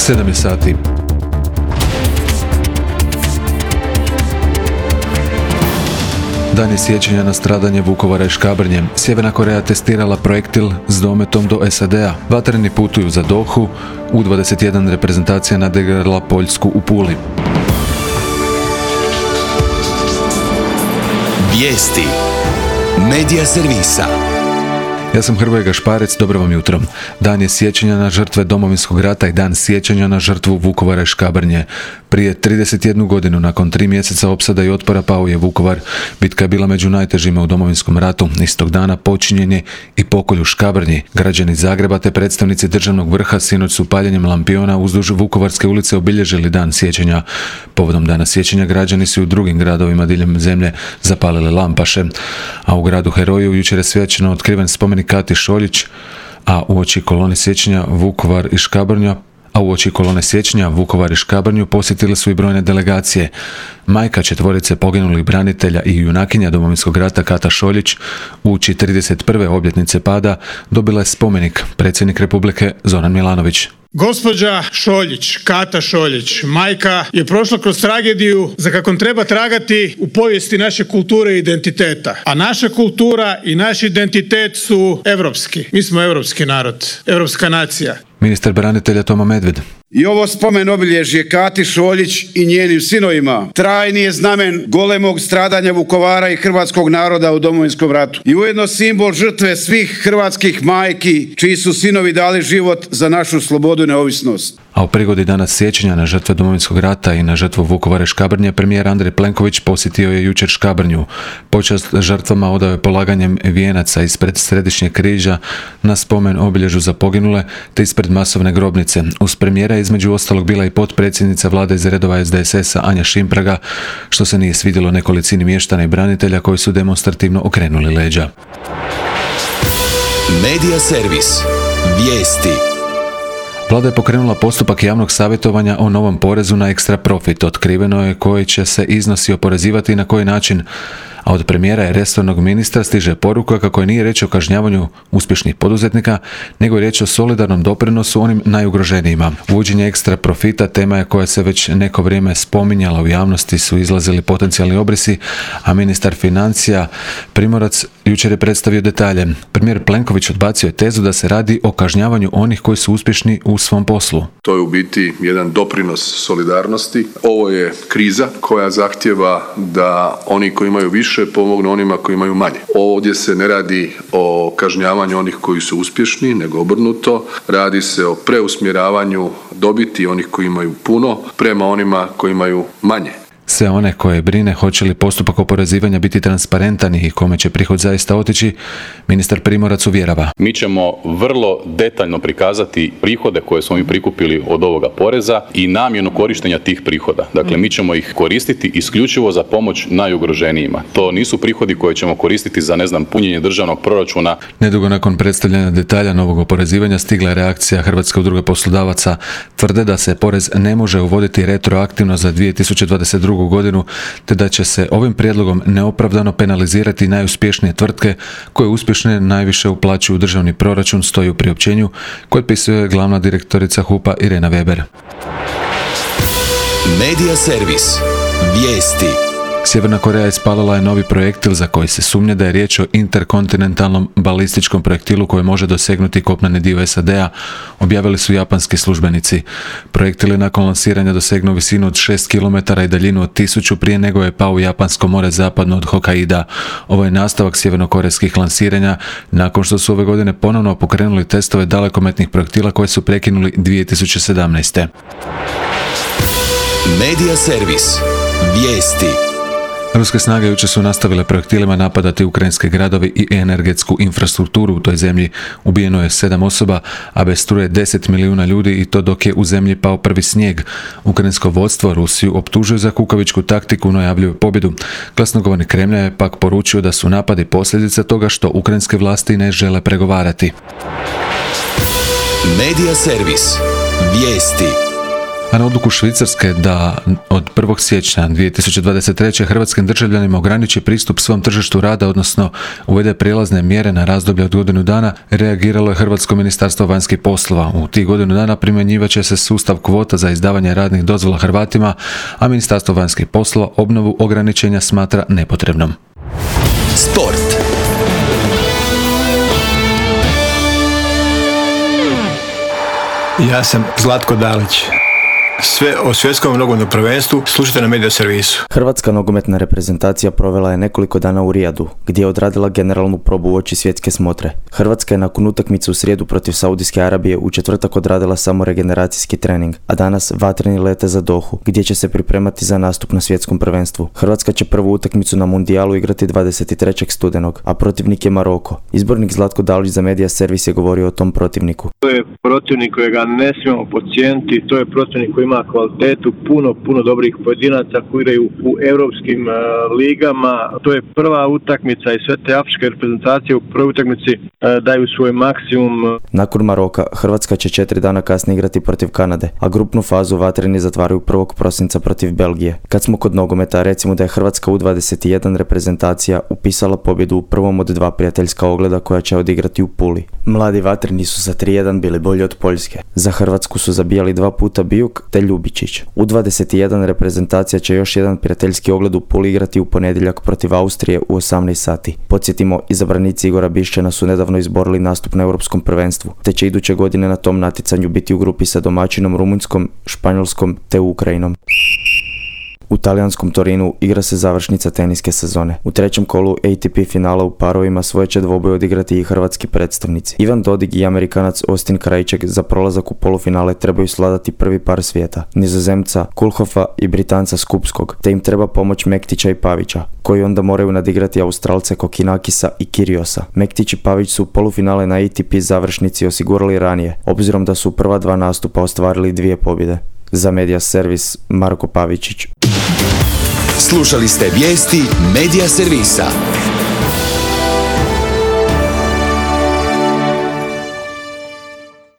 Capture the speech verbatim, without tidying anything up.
sedam je sati. Dan je sjećanja na stradanje Vukovara i Škabrnje. Sjeverna Koreja testirala projektil s dometom do S A D-a. Vatreni putuju za Dohu. U dvadeset jedan reprezentacija nadigrala Poljsku u Puli. Vijesti Medija servisa. Ja sam Hrvoje Gašparec, dobro vam jutro. Dan je sjećanja na žrtve Domovinskog rata i dan sjećanja na žrtvu Vukovara i Škabrnje. Prije trideset jednu godinu, nakon tri mjeseca opsada i otpora, pao je Vukovar. Bitka je bila među najtežima u Domovinskom ratu. Istog dana počinjen je i pokolj u Škabrnji. Građani Zagreba te predstavnici državnog vrha sinoć su paljenjem lampiona uzduž Vukovarske ulice obilježili dan sjećanja. Povodom dana sjećanja građani su u drugim gradovima diljem zemlje zapalili lampaše. A u gradu Heroju jučer je svečano otkriven spomenik Kati Šoljić, a uoči kolone sjećanja Vukovar i Škabrnja A u oči kolone sjećanja Vukovar i Škabrnju posjetile su i brojne delegacije. Majka četvorice poginulih branitelja i junakinja Domovinskog rata Kata Šoljić uoči trideset prve obljetnice pada dobila je spomenik predsjednik Republike Zoran Milanović. Gospođa Šoljić, Kata Šoljić, majka, je prošla kroz tragediju za kakvom treba tragati u povijesti naše kulture i identiteta. A naša kultura i naš identitet su europski. Mi smo europski narod, europska nacija. Ministar branitelja Toma Medved. I ovo spomen obilježje Kati Šoljić i njenim sinovima trajni je znamen golemog stradanja Vukovara i hrvatskog naroda u Domovinskom ratu. I ujedno simbol žrtve svih hrvatskih majki čiji su sinovi dali život za našu slobodu i neovisnost. A u prigodi dana sjećanja na žrtve Domovinskog rata i na žrtvu Vukovara i Škabrnje, premijer Andrej Plenković posjetio je jučer Škabrnju. Počast žrtvama odao je polaganjem vijenaca ispred središnjeg križa na spomen obilježju za poginule te ispred masovne grobnice. Uz premijera je između ostalog bila i potpredsjednica vlade iz redova S D S S-a Anja Šimpraga, što se nije svidjelo nekolicini mještana i branitelja koji su demonstrativno okrenuli leđa. Medija servis. Vijesti. Vlada je pokrenula postupak javnog savjetovanja o novom porezu na ekstra profit. Otkriveno je koji će se iznosi oporezivati i na koji način. A od premijera i resornog ministra stiže poruka kako je nije riječ o kažnjavanju uspješnih poduzetnika, nego je riječ o solidarnom doprinosu onim najugroženijima. Uvođenje ekstra profita tema je koja se već neko vrijeme spominjala u javnosti, su izlazili potencijalni obrisi, a ministar financija Primorac jučer je predstavio detalje. Premijer Plenković odbacio je tezu da se radi o kažnjavanju onih koji su uspješni u svom poslu. To je u biti jedan doprinos solidarnosti. Ovo je kriza koja zahtjeva da oni koji imaju više pomognu onima koji imaju manje. Ovdje se ne radi o kažnjavanju onih koji su uspješni, nego obrnuto. Radi se o preusmjeravanju dobiti onih koji imaju puno prema onima koji imaju manje. Sve one koje brine hoće li postupak oporezivanja biti transparentan i kome će prihod zaista otići, ministar Primorac uvjerava. Mi ćemo vrlo detaljno prikazati prihode koje smo mi prikupili od ovoga poreza i namjenu korištenja tih prihoda. Dakle, mi ćemo ih koristiti isključivo za pomoć najugroženijima. To nisu prihodi koje ćemo koristiti za, ne znam, punjenje državnog proračuna. Nedugo nakon predstavljanja detalja novog oporezivanja stigla je reakcija Hrvatske udruge poslodavaca. Tvrde da se porez ne može uvoditi retroaktivno za dvije tisuće dvadeset drugu godinu, te da će se ovim prijedlogom neopravdano penalizirati najuspješnije tvrtke koje uspješne najviše uplaćuju u državni proračun, stoji u priopćenju koje pisuje glavna direktorica H U P-a Irena Weber. Medija servis. Vijesti. Sjeverna Koreja ispalila je novi projektil za koji se sumnja da je riječ o interkontinentalnom balističkom projektilu koji može dosegnuti kopneni dio S A D-a, objavili su japanski službenici. Projektil je nakon lansiranja dosegnuo visinu od šest kilometara i daljinu od tisuću prije nego je pao u Japansko more zapadno od Hokkaida. Ovo je nastavak sjevernokorejskih lansiranja nakon što su ove godine ponovno pokrenuli testove dalekometnih projektila koje su prekinuli dvije tisuće sedamnaeste. Medija servis. Vijesti. Ruske snage jučer su nastavile projektilima napadati ukrajinske gradove i energetsku infrastrukturu u toj zemlji. Ubijeno je sedam osoba, a bez struje deset milijuna ljudi, i to dok je u zemlji pao prvi snijeg. Ukrajinsko vodstvo Rusiju optužuje za kukavičku taktiku, no javljaju pobjedu. Glasnogovornik Kremlja je pak poručio da su napadi posljedica toga što ukrajinske vlasti ne žele pregovarati. Medija servis. Vijesti. A na odluku Švicarske da od prvog siječnja dvije tisuće dvadeset treće. hrvatskim državljanima ograniči pristup svom tržištu rada, odnosno uvede prijelazne mjere na razdoblje od godinu dana, reagiralo je Hrvatsko ministarstvo vanjskih poslova. U tih godinu dana primjenjivat će se sustav kvota za izdavanje radnih dozvola Hrvatima, a Ministarstvo vanjskih poslova obnovu ograničenja smatra nepotrebnom. Sport. Ja sam Zlatko Dalić. Sve o svjetskom nogometnom prvenstvu slušajte na Media Servisu. Hrvatska nogometna reprezentacija provela je nekoliko dana u Rijadu, gdje je odradila generalnu probu uoči svjetske smotre. Hrvatska je nakon utakmice u srijedu protiv Saudijske Arabije u četvrtak odradila samo regeneracijski trening, a danas vatreni lete za Dohu, gdje će se pripremati za nastup na svjetskom prvenstvu. Hrvatska će prvu utakmicu na mundijalu igrati dvadeset trećeg studenog, a protivnik je Maroko. Izbornik Zlatko Dalić za Media Servis je govorio o tom protivniku. To je protivnik kojega ne smijemo podcijeniti, to je protivnik koji ima kvalitetu, puno, puno dobrih pojedinaca koji igraju u europskim uh, ligama. To je prva utakmica i sve te afričke reprezentacije u prvoj utakmici uh, daju svoj maksimum. Nakon Maroka, Hrvatska će četiri dana kasnije igrati protiv Kanade, a grupnu fazu vatreni zatvaraju prvog prosinca protiv Belgije. Kad smo kod nogometa, recimo da je Hrvatska U dvadeset jedan reprezentacija upisala pobjedu u prvom od dva prijateljska ogleda koja će odigrati u Puli. Mladi vatreni su sa tri jedan bili bolji od Poljske. Za Hrvatsku su zabijali dva puta Bijuk te Ljubičić. U dvadeset jedan reprezentacija će još jedan prijateljski ogled u Puli igrati u ponedjeljak protiv Austrije u osamnaest sati. Podsjetimo, izabranici Igora Bišćana su nedavno izborili nastup na europskom prvenstvu, te će iduće godine na tom natjecanju biti u grupi sa domaćinom Rumunjskom, Španjolskom te Ukrajinom. U talijanskom Torinu igra se završnica teniske sezone. U trećem kolu A T P finala u parovima svoje će dvoboj odigrati i hrvatski predstavnici. Ivan Dodig i Amerikanac Austin Krajček za prolazak u polufinale trebaju sladati prvi par svijeta, Nizozemca Kulhofa i Britanca Skupskog, te im treba pomoć Mektića i Pavića, koji onda moraju nadigrati Australce Kokinakisa i Kiriosa. Mektić i Pavić su polufinale na A T P završnici osigurali ranije, obzirom da su u prva dva nastupa ostvarili dvije pobjede. Za Media Servis, Marko Pavičić. Slušali ste vijesti Media Servisa.